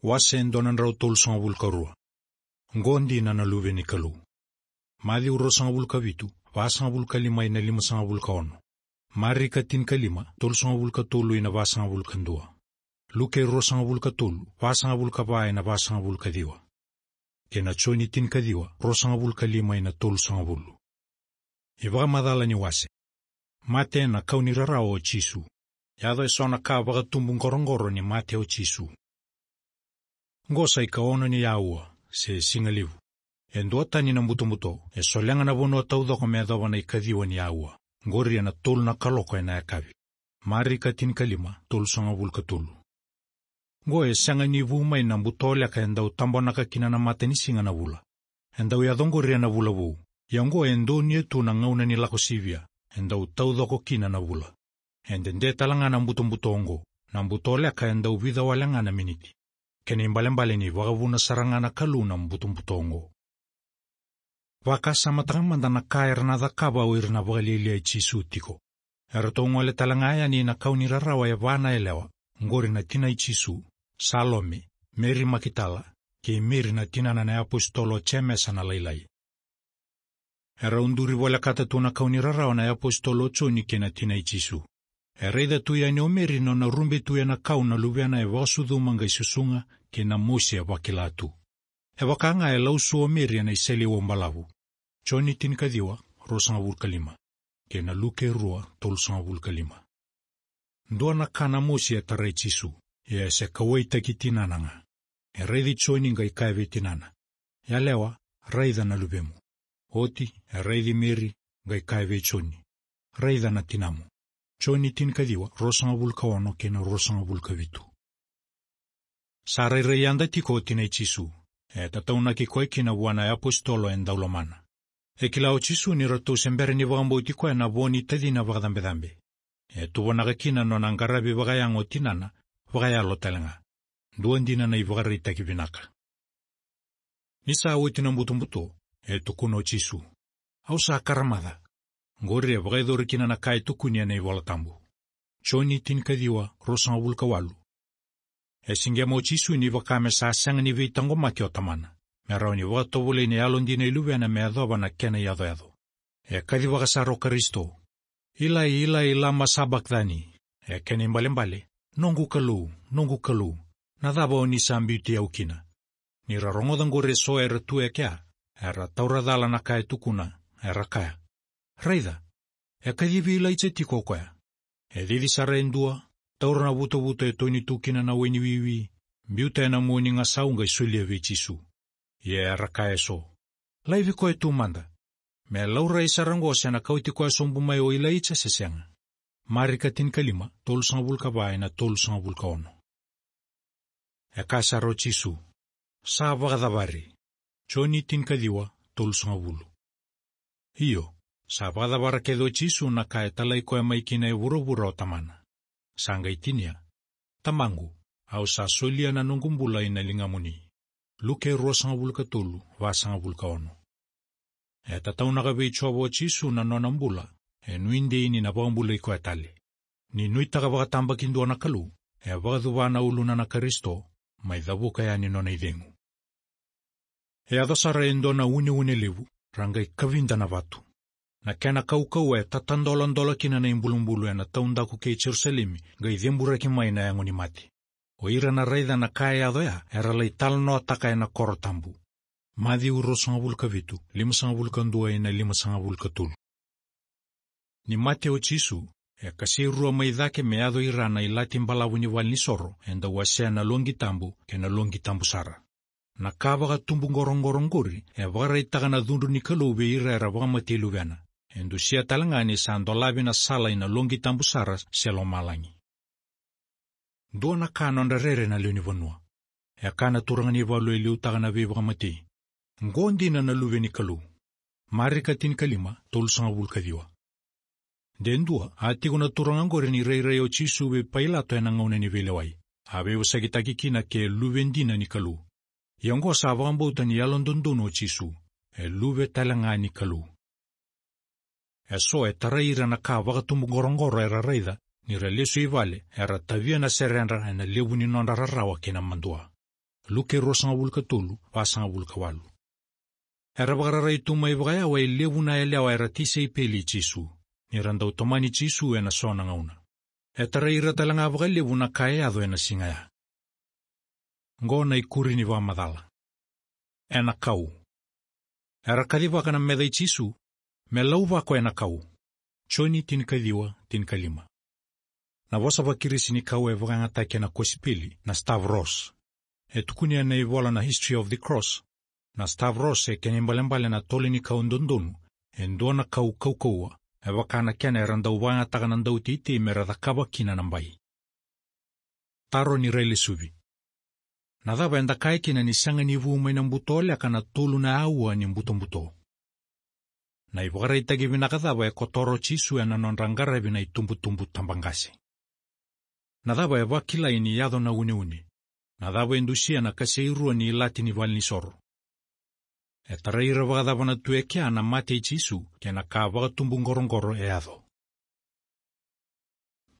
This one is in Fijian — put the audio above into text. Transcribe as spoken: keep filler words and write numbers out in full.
Wase e dua na drau tolusagavulu ka rua. Qo dina na Luve ni Kalou. Maciu ruasagavulu ka vitu, vasagavulu ka lima ina limasagavulu ka ono. Marika tinikalima, tolusagavulu ka tolu ina vasagavulu ka dua. Luke ruasagavulu ka tolu, vasagavulu ka va ina vasagavulu ka ciwa. Kei na Joni tinikaciwa, ruasagavulu ka lima ina tolusagavulu. iVakamacala ni wase. Mate na kau ni rarawa o Jisu. Yaco eso na ka vakatubu qoroqoro ni mate o Jisu. Qo sa ikaono ni aua, se sigalevu. E duatani na butobuto, e solega na vanua taucoko me yacova na ikaciwa ni aua. Qori ena tolu na kaloko ena yakavi. Marika tinikalima, tolusagavulu ka tolu. Qo e sega ni vu mai na butoleka e dau tabonaka kina na matanisiga na vula. E dau yaco qori ena vula vou. Ia qo e donuya tu na gauna ni Lako Sivia, e dau taucoko kina na vula. E dede tale ga na butobuto qo, na butoleka e dau vica wale ga na miniti. Kena ibalebale ni vakavuna sara ga na Kalou na butobuto qo. Vakasamataka mada na ka era na cakava o ira na vakalialia i Jisu tiko. Eratou gole tale ga yani na kau ni rarawa e va na yalewa, qori na tina i Jisu, Salome, Meri Makitala, kei Meri na tinana na iapositolo o Jemesa na lailai. Erau duri volekata tu na kau ni rarawa na iapositolo o Joni kei na tina i Jisu. E raica tu yani o Meri nona rube tu ena kau na luvena e vakasucuma qai susuga, kei na mosi e vakila tu. E vaka ga e lausu o Meri ena iseleiwau balavu. Joni tinikaciwa, ruasagavulu ka lima. Kei na Luke rua, tolusagavulu ka lima. Dua na ka na mosi e tarai Jisu, ia e se kauwaitaki tinana ga. E raici Joni qai kaya vei tinana. Yalewa, raica na luvemu. Oti, e raici Meri, qai kaya vei Joni. Raica na tinamu. Joni tinikaciwa, ruasagavulu ka ono kei na ruasagavulu ka vitu. Sa rairai yada tiko o tina i Jisu. E tataunaki koya kina vua na iapositolo e dau lomana. E kila o Jisu ni ratou se bera ni vakabauti koya na vo ni tacina vakacabecabe. E tuvanaka kina nona qaravi vakayago o tinana, vakayalo tale ga. Dua dina na ivakaraitaki vinaka. Ni sa oti na butobuto, e tukuna o Jisu. Au sa karamaca. Qori e vakayacori kina na ka e tukuni ena iVola Tabu. Joni tinikaciwa, ruasagavulu ka walu. E siqema o Jisu ni vaka me sa sega ni veitaqomaki o Tamana. Me rawa ni vakatovolei na yalodina i luvena me yacova na kena iyacoyaco. E kacivaka sara o Karisito. Ilai, Ilai, lama sabakthani. E kena ibalebale. Noqu Kalou, noqu Kalou. Na cava o ni sa biuti au kina? Ni ra rogoca qori eso era tu e kea, era taura cala na ka e tukuna, era kaya. Raica, e kacivi Ilaija tiko o koya. E cici sara e dua, taura na vutavuta e toni tu kina na waini wiwi, biuta ena mua ni gasau qai solia vei Jisu. Ia era kaya eso. Laivi koya tu mada. Me laurai sara qo se na kauti koya sobu mai o Ilaija se sega. Marika tinikalima, tolusagavulu ka va ina tolusagavulu ka ono. E kaya sara o Jisu. Sa vakacavari. Joni tinikaciwa, tolusagavulu. Io, sa vakacavara kece o Jisu na ka e talai koya mai kina e vuravura o Tamana. Sa qai tinia. Tamaqu, au sa solia na noqu bula ina ligamuni. Luke ruasagavulu ka tolu, vasagavulu ka ono. E tataunaka vei Jiova o Jisu na nona bula, e nuidei ni na vakabulai koya tale. Ni nuitaka vakatabakidua na Kalou, e vakacuva na uluna na Karisito, mai cavuka yani nona icegu. E yaco sara e dua na uneune levu, ra qai kavida na vatu. Na kena kaukauwa e tatadoladola kina na ibulubulu ena taudaku kei Jerusalemi, qai ceburaki mai na yago ni mate. O ira na raica na ka e yaco ya, era lai talanoataka ena koro tabu. Maciu ruasagavulu ka vitu, limasagavulu ka dua ina limasagavulu ka tolu. Ni mate o Jisu, e kasei rua mai cake me yaco ira na ilati balavu ni valenisoro, e dau wasea na loqi tabu, kei na loqi tabu sara. Na ka vakatubu qoroqoro qori, e vakaraitaka na cudru ni Kalou vei ira era vakamatei luvena. E dusia tale ga ni sa dolavi na sala ina loqi tabu sara se lomalagi. Dua na ka nodra rere na lewe ni vanua. E kaya na turaga ni valu e liutaka na veivakamatei. Qo dina na Luve ni Kalou. Marika tinikalima, tolusagavulu ka ciwa. De dua, a tiko na turaga qori ni rairai o Jisu vei Pailato ena gauna ni veilewai. A veivosakitaki kina ke luve dina ni Kalou. Ia qo sa vakabauta ni yalododonu o Jisu. E luve tale ga ni Kalou. Eso e tarai ira na ka vakatubu qoroqoro era raica, ni ra lesu i vale, era tavia na seredra ena levu ni nodra rarawa kei na madua. Luke ruasagavulu ka tolu, vasagavulu ka walu. Era vakararai tu mai vakayawa e levu na yalewa era tisaipeli i Jisu, ni ra dau tomani Jisu ena so na gauna. E tarai ira tale ga vakalevu na ka e yaco ena siga ya. Qo na ikuri ni vakamacala. Ena kau. Era kacivaka na meca i Jisu, me lauvako ena kau. Joni tinikaciwa, tinikalima. Na vosa vaKirisi ni kau e vakayagataki ena kosipeli na stavros. E tukuni ena ivola na History of the Cross, na stavros e kena ibalebale na tole ni kau dodonu, e dua na kau kaukauwa, e vaka na kena era dau vakayagataka na dauteitei mera cakava kina na bai. Taro ni railesuvi. Na cava eda kaya kina ni sega ni vu mai na butoleka na tolu na aua ni butobuto? Na ivakaraitaki vinaka cava e kotora o Jisu ena nodra qaravi na itubutubu tabaqase? Na cava e vakilai ni yaco na uneune? Na cava e dusia na kasei rua ni ilati ni valenisoro? E tarai ira vakacava na tu e kea na mate i Jisu, kei na ka vakatubu qoroqoro e yaco?